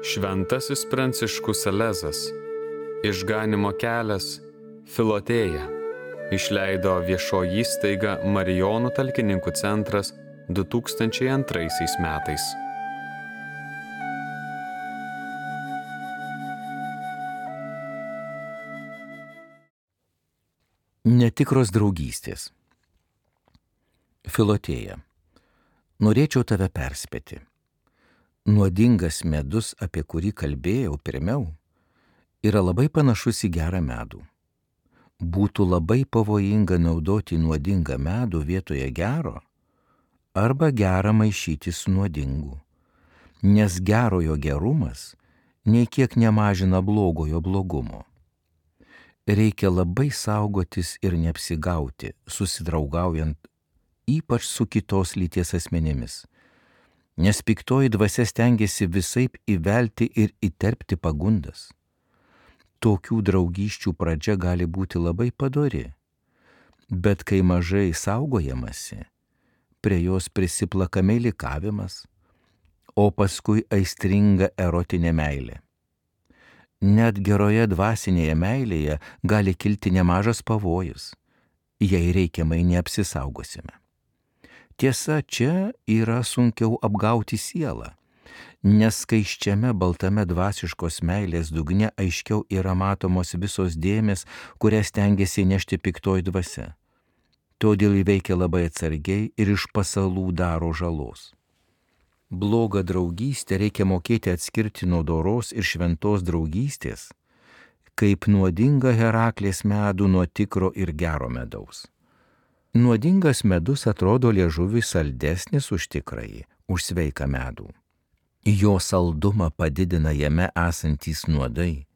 Šventasis Pranciškus Salezas, Išganymo kelias, Filotėja, išleido viešoji įstaiga Marijonų talkininkų centras 2002 metais. Netikros draugystės. Filotėja. Norėčiau tave perspėti. Nuodingas medus, apie kurį kalbėjau pirmiau, yra labai panašus į gerą medų. Būtų labai pavojinga naudoti nuodingą medų vietoje gero arba gerą maišyti su nuodingu, nes gerojo gerumas nei kiek nemažina blogojo blogumo. Reikia labai saugotis ir neapsigauti, susidraugaujant ypač su kitos lyties asmenimis, nes piktoji dvasia stengiasi visaip įvelti ir įterpti pagundas. Tokių draugysčių pradžia gali būti labai padori, bet kai mažai saugojamasi, prie jos prisiplaka meilikavimas, o paskui aistringa erotinė meilė. Net geroje dvasinėje meilėje gali kilti nemažas pavojus, jei reikiamai neapsisaugosime. Tiesa, čia yra sunkiau apgauti sielą, nes skaisčiame baltame dvasiškos meilės dugne aiškiau yra matomos visos dėmės, kurias stengiasi nešti piktoji dvasia. Todėl įveikia labai atsargiai ir iš pasalų daro žalos. Blogą draugystę reikia mokėti atskirti nuo doros ir šventos draugystės, kaip nuodingą Heraklės medų nuo tikro ir gero medaus. Nuodingas medus atrodo liežuviui saldesnis už tikrąjį, už sveiką medų. Jo saldumą padidina jame esantys nuodai.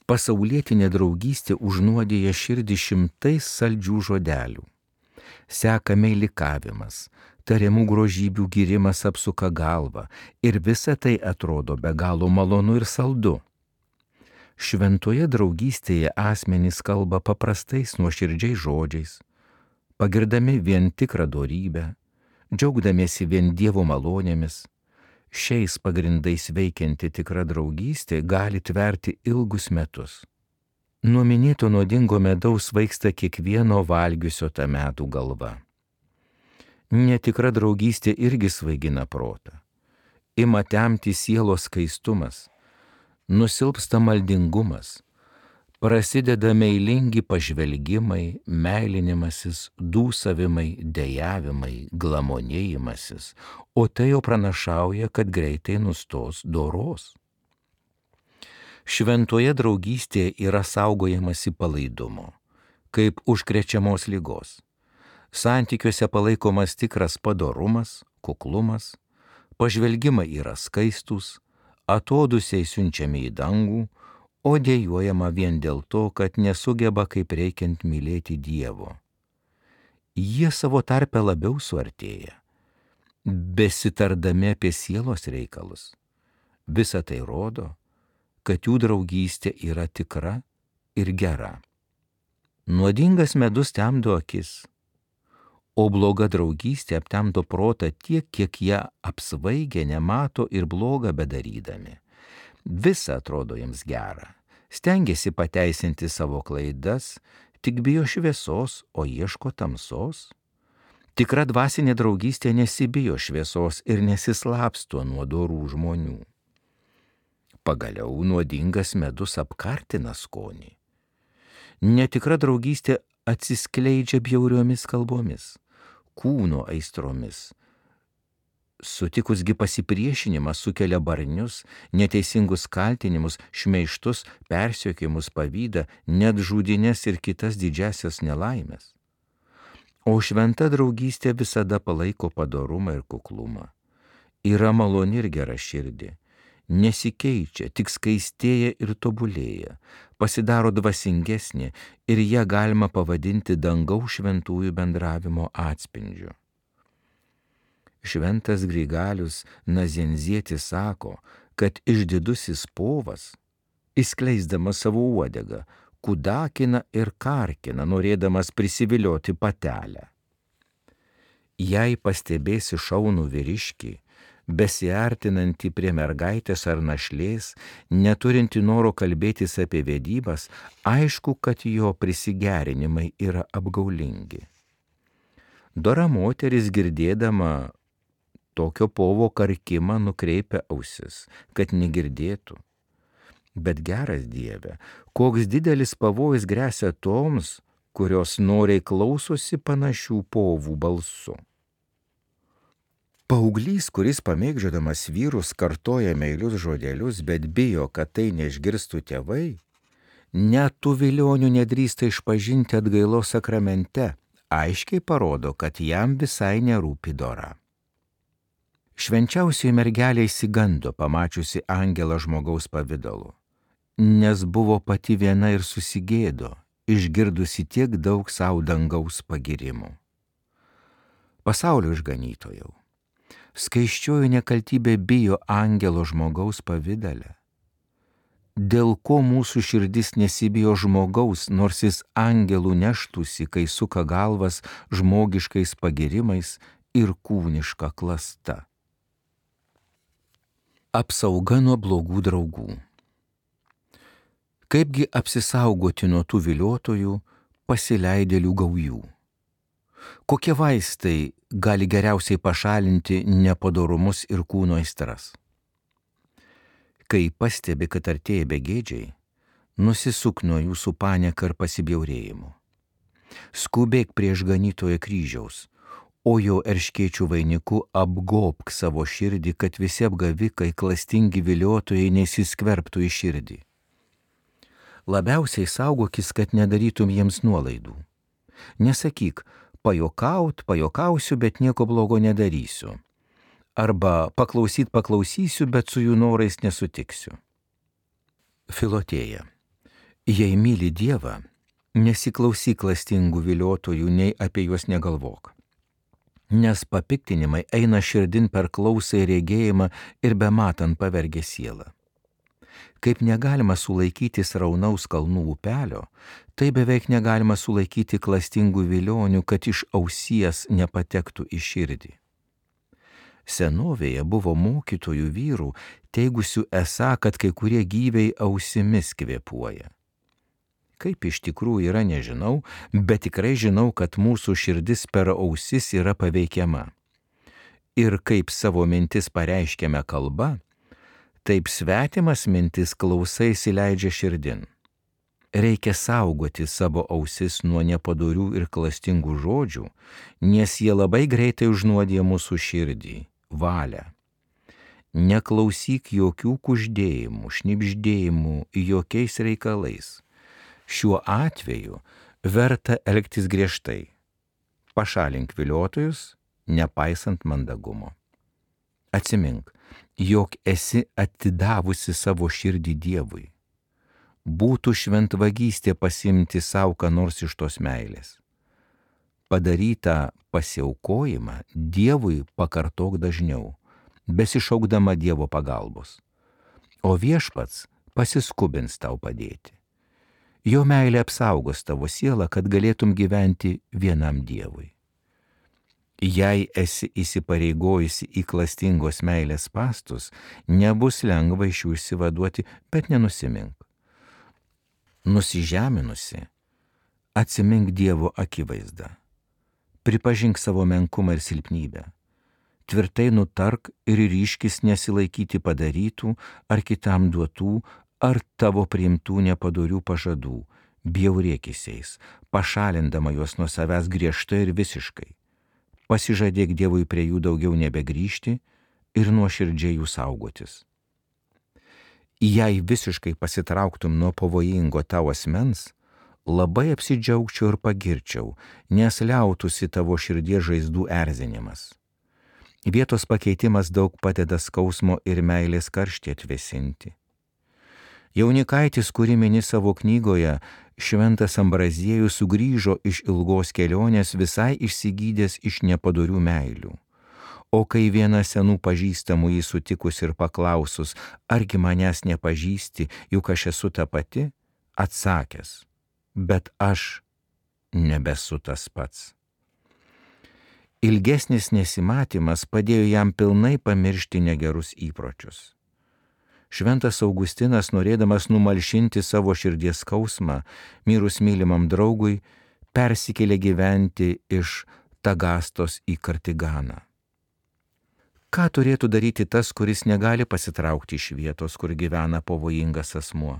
Pasaulietinė draugystė užnuodija širdį šimtais saldžių žodelių. Seka meilikavimas, tariamų grožybių gyrimas apsuka galvą ir visa tai atrodo be galo malonu ir saldu. Šventoje draugystėje asmenys kalba paprastais nuoširdžiais žodžiais, pagirdami vien tikrą dorybę, džiaugdamiesi vien Dievo malonėmis. Šiais pagrindais veikianti tikra draugystė gali tverti ilgus metus. Nuo minėto nuodingo medaus svaigsta kiekvieno valgiusio tą medų galva. Netikra draugystė irgi svaigina protą. Ima temti sielos skaistumas, nusilpsta maldingumas, prasideda meilingi pažvelgimai, meilinimasis, dūsavimai, dejavimai, glamonėjimasis, o tai jau pranašauja, kad greitai nustos doros. Šventoje draugystėje yra saugojamasi palaidumo, kaip užkrečiamos ligos. Santykiuose palaikomas tikras padorumas, kuklumas, pažvelgimai yra skaistus, atodūsiai siunčiami į dangų, o dejuojama vien dėl to, kad nesugeba kaip reikiant mylėti Dievo. Jie savo tarpe labiau suartėja, besitardami apie sielos reikalus. Visa tai rodo, kad jų draugystė yra tikra ir gera. Nuodingas medus temdo akis, o bloga draugystė aptemdo protą tiek, kiek ją apsvaigę nemato ir blogą bedarydami. Visa atrodo jiems gera, stengiasi pateisinti savo klaidas, tik bijo šviesos, o ieško tamsos. Tikra dvasinė draugystė nesibijo šviesos ir nesislapsto nuo dorų žmonių. Pagaliau nuodingas medus apkartina skonį. Netikra draugystė atsiskleidžia bjauriomis kalbomis, kūno aistromis. Sutikusgi pasipriešinimas sukelia barnius, neteisingus kaltinimus, šmeižtus, persekiojimus, pavydą, net žudynes ir kitas didžiasias nelaimes. O šventa draugystė visada palaiko padorumą ir kuklumą. Yra maloni ir gera širdį. Nesikeičia, tik skaistėja ir tobulėja, pasidaro dvasingesnė ir ją galima pavadinti dangaus šventųjų bendravimo atspindžiu. Šventas Grigalius Nazenzietis sako, kad išdidusis povas, išskleisdamas savo uodegą, kudakina ir karkina, norėdamas prisivilioti patelę. Jei pastebėsi šaunų vyriškį, besiartinanti prie mergaitės ar našlės, neturinti noro kalbėtis apie vedybas, aišku, kad jo prisigerinimai yra apgaulingi. Dora moteris girdėdama tokio povo karkimą nukreipia ausis, kad negirdėtų. Bet geras Dieve, koks didelis pavojus gresia toms, kurios noriai klausosi panašių povų balsu. Paauglys, kuris pamėgdžiodamas vyrus kartoja meilius žodelius, bet bijo, kad tai neišgirstų tėvai, net tų vilionių nedrįsta išpažinti atgailos sakramente, aiškiai parodo, kad jam visai nerūpi dora. Švenčiausioji mergelė išsigando, pamačiusi angelą žmogaus pavidalu, nes buvo pati viena ir susigėdo, išgirdusi tiek daug savo dangaus pagirimų. Pasaulio išganytojau, skaisčioji nekaltybė bijo angelo žmogaus pavidale. Dėl ko mūsų širdis nesibijo žmogaus, nors jis angelų neštųsi, kai suka galvas žmogiškais pagirimais ir kūniška klasta. Apsauga nuo blogų draugų. Kaipgi apsisaugoti nuo tų viliotojų, pasileidėlių gaujų? Kokie vaistai gali geriausiai pašalinti nepadorumus ir kūno aistras? Kai pastebi, kad artėja begėdžiai, nusisuk nuo jūsų panieka ir pasibjaurėjimu. Skubėk prie išganytojo kryžiaus, o jo erškėčių vainiku apgobk savo širdį, kad visi apgavikai, klastingi viliotojai nesiskverbtų į širdį. Labiausiai saugokis, kad nedarytum jiems nuolaidų. Nesakyk, pajokausiu, bet nieko blogo nedarysiu. Arba paklausysiu, bet su jų norais nesutiksiu. Filotėja. Jei myli Dievą, nesiklausyk klastingų viliotojų, nei apie juos negalvok. Nes papiktinimai eina širdin per klausą ir regėjimą ir bematant pavergia sielą. Kaip negalima sulaikyti sraunaus kalnų upelio, tai beveik negalima sulaikyti klastingų vilionių, kad iš ausies nepatektų į širdį. Senovėje buvo mokytojų vyrų, teigusių esą, kad kai kurie gyviai ausimis kvėpuoja. Kaip iš tikrųjų yra, nežinau, bet tikrai žinau, kad mūsų širdis per ausis yra paveikiama. Ir kaip savo mintis pareiškiame kalba, taip svetimas mintis klausai įsileidžia širdin. Reikia saugoti savo ausis nuo nepadorių ir klastingų žodžių, nes jie labai greitai užnuodija mūsų širdį, valią. Neklausyk jokių kuždėjimų, šnibždėjimų, jokiais reikalais. Šiuo atveju verta elgtis griežtai. Pašalink viliotojus, nepaisant mandagumo. Atsimink, jog esi atidavusi savo širdį Dievui. Būtų šventvagystė pasiimti savo ką nors iš tos meilės. Padarytą pasiaukojimą Dievui pakartok dažniau, besišaukdama Dievo pagalbos. O viešpats pasiskubins tau padėti. Jo meilė apsaugos tavo sielą, kad galėtum gyventi vienam Dievui. Jei esi įsipareigojusi į klastingos meilės spastus, nebus lengva iš jų išsivaduoti, bet nenusimink. Nusižeminusi, atsimink Dievo akivaizdą. Pripažink savo menkumą ir silpnybę. Tvirtai nutark ir ryškis nesilaikyti padarytų ar kitam duotų ar tavo priimtų nepadorių pažadų, bjaurėkisiais, pašalindama juos nuo savęs griežtai ir visiškai. Pasižadėk Dievui prie jų daugiau nebegrįžti ir nuoširdžiai jų saugotis. Jei visiškai pasitrauktum nuo pavojingo tavo asmens, labai apsidžiaugčiau ir pagirčiau, nes liautųsi tavo širdies žaizdų erzinimas. Vietos pakeitimas daug padeda skausmo ir meilės karštį atvėsinti. Jaunikaitis, kurį mini savo knygoje, šventas Ambraziejus sugrįžo iš ilgos kelionės visai išsigydęs iš nepadorių meilių. O kai viena senų pažįstamų jį sutikus ir paklausus, argi manęs nepažįsti, juk aš esu ta pati, atsakęs, bet aš nebesu tas pats. Ilgesnis nesimatymas padėjo jam pilnai pamiršti negerus įpročius. Šventas Augustinas, norėdamas numalšinti savo širdies skausmą mirus mylimam draugui, persikėlė gyventi iš Tagastos į Kartiganą. Ką turėtų daryti tas, kuris negali pasitraukti iš vietos, kur gyvena pavojingas asmuo?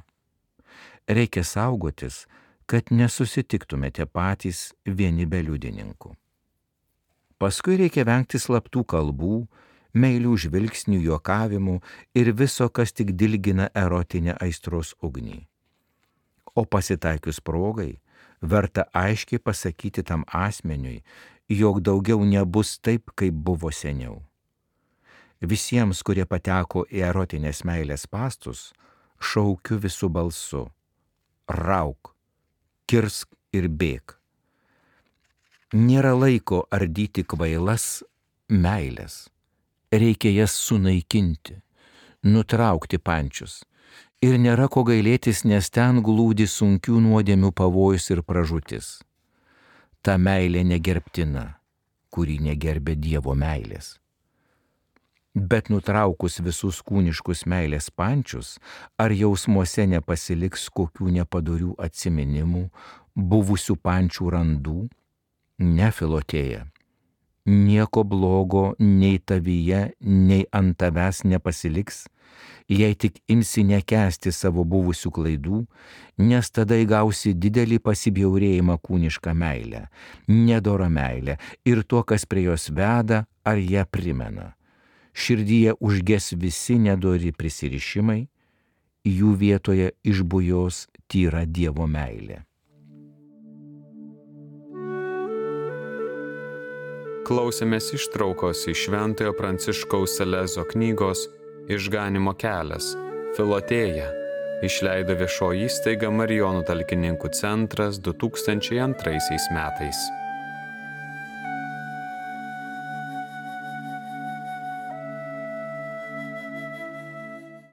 Reikia saugotis, kad nesusitiktumėte patys vieni be liudininkų. Paskui reikia vengti slaptų kalbų, meilių žvilgsnių, juokavimų ir viso, kas tik dilgina erotinę aistros ugnį. O pasitaikius progai, verta aiškiai pasakyti tam asmeniui, jog daugiau nebus taip, kaip buvo seniau. Visiems, kurie pateko į erotinės meilės spąstus, šaukiu visų balsu: rauk, kirsk ir bėk. Nėra laiko ardyti kvailas meilės. Reikia jas sunaikinti, nutraukti pančius. Ir nėra ko gailėtis, nes ten glūdi sunkių nuodėmių pavojus ir pražūtis. Ta meilė negerbtina, kuri negerbė Dievo meilės. Bet nutraukus visus kūniškus meilės pančius, ar jausmuose nepasiliks kokių nepadorių atsiminimų, buvusių pančių randų? Ne, Filotėja. Nieko blogo nei tavyje, nei ant tavęs nepasiliks, jei tik imsi nekęsti savo buvusių klaidų, nes tada įgausi didelį pasibjaurėjimą kūnišką meilę, nedorą meilę ir tuo, kas prie jos veda ar ją primena. Širdyje užges visi nedori prisirišimai, jų vietoje išbujos tyra Dievo meilė. Klausėmės ištraukos iš Šventojo Pranciškaus Salezo knygos Išganymo kelias – Filotėja, išleido viešoji įstaiga Marijonų talkininkų centras 2002 metais.